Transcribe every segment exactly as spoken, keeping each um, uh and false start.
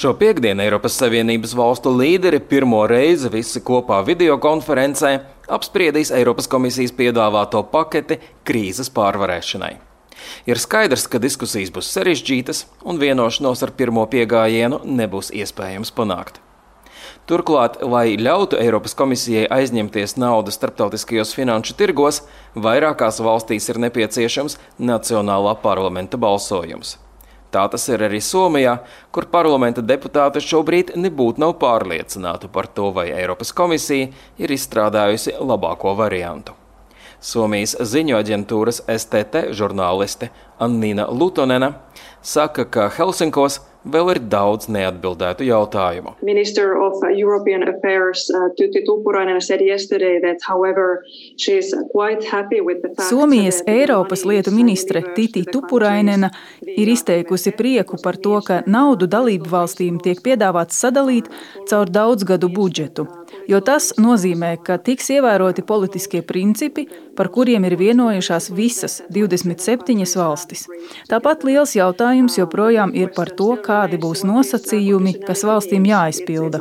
Šo piektdienu Eiropas Savienības valstu līderi pirmo reizi visi kopā videokonferencē apspriedīs Eiropas komisijas piedāvāto paketi krīzes pārvarēšanai. Ir skaidrs, ka diskusijas būs sarežģītas un vienošanos ar pirmo piegājienu nebūs iespējams panākt. Turklāt, lai ļautu Eiropas komisijai aizņemties naudu starptautiskajos finanšu tirgos, vairākās valstīs ir nepieciešams nacionālā parlamenta balsojums. Tā tas ir arī Somijā, kur parlamenta deputāti šobrīd nebūtu nav pārliecināti par to, vai Eiropas komisija ir izstrādājusi labāko variantu. Somijas ziņu aģentūras S T T žurnāliste Annina Lutonena saka, ka Helsinkos vēl ir daudz neatbildētu jautājumu. Minister of European Affairs uh, Tytti Tuppurainen said yesterday that however she is quite happy with the fact Somijas Eiropas lietu ministre Tytti Tuppurainena ir izteikusi prieku par to, ka naudu dalību valstīm tiek piedāvāts sadalīt caur daudzgadu budžetu, jo tas nozīmē, ka tiks ievēroti politiskie principi, par kuriem ir vienojušās visas divdesmit septiņas valstis. Tāpat liels jautājums joprojām ir par to, kādi būs nosacījumi, kas valstīm jāizpilda.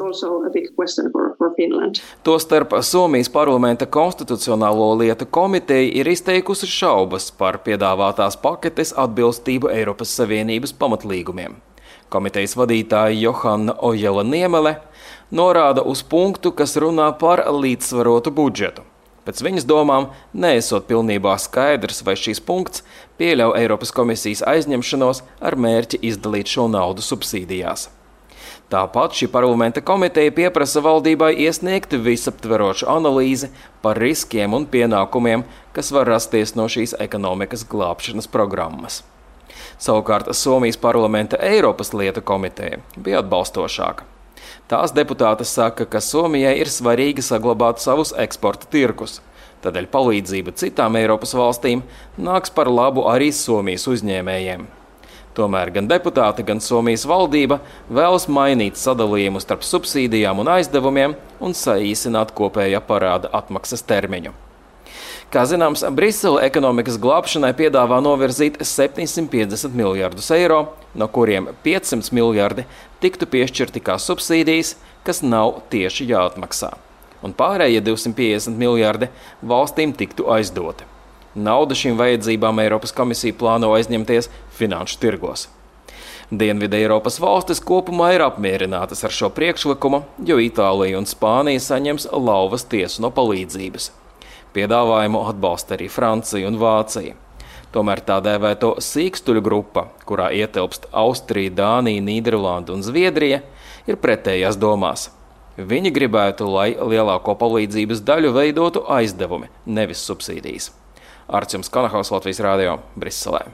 Tostarp Somijas parlamenta konstitucionālo lietu komiteja ir izteikusi šaubas par piedāvātās paketes atbilstību Eiropas Savienības pamatlīgumiem. Komitejas vadītāja Johanna Ojala-Niemele norāda uz punktu, kas runā par līdzsvarotu budžetu. Pēc viņas domām, neesot pilnībā skaidrs, vai šīs punkts pieļauj Eiropas komisijas aizņemšanos ar mērķi izdalīt šo naudu subsīdijās. Tāpat šī parlamenta komiteja pieprasa valdībai iesniegt visaptverošu analīzi par riskiem un pienākumiem, kas var rasties no šīs ekonomikas glābšanas programmas. Savukārt Somijas parlamenta Eiropas lietu komiteja bija atbalstošāka. Tās deputātes saka, ka Somijai ir svarīgi saglabāt savus eksporta tirgus, tādēļ palīdzība citām Eiropas valstīm nāks par labu arī Somijas uzņēmējiem. Tomēr gan deputāti, gan Somijas valdība vēlas mainīt sadalījumu starp subsīdijām un aizdevumiem un saīsināt kopējā parāda atmaksas termiņu. Kā zināms, Brisele ekonomikas glābšanai piedāvā novirzīt septiņsimt piecdesmit miljardus eiro, no kuriem piecsimt miljardi tiktu piešķirti kā subsīdijas, kas nav tieši jāatmaksā. Un pārējie divsimt piecdesmit miljardi valstīm tiktu aizdoti. Naudu šīm vajadzībām Eiropas komisija plāno aizņemties finanšu tirgos. Dienvidu Eiropas valstis kopumā ir apmierinātas ar šo priekšlikumu, jo Itālija un Spānija saņems lauvas tiesu no palīdzības. Piedāvājumu atbalsta arī Francija un Vācija. Tomēr tā dēvēto sīkstuļu grupa, kurā ietilpst Austrija, Dānija, Nīderlanda un Zviedrija, ir pretējās domās. Viņi gribētu, lai lielāko palīdzības daļu veidotu aizdevumi, nevis subsīdijas. Arčuns Kanahaus, Latvijas radio, Briselē.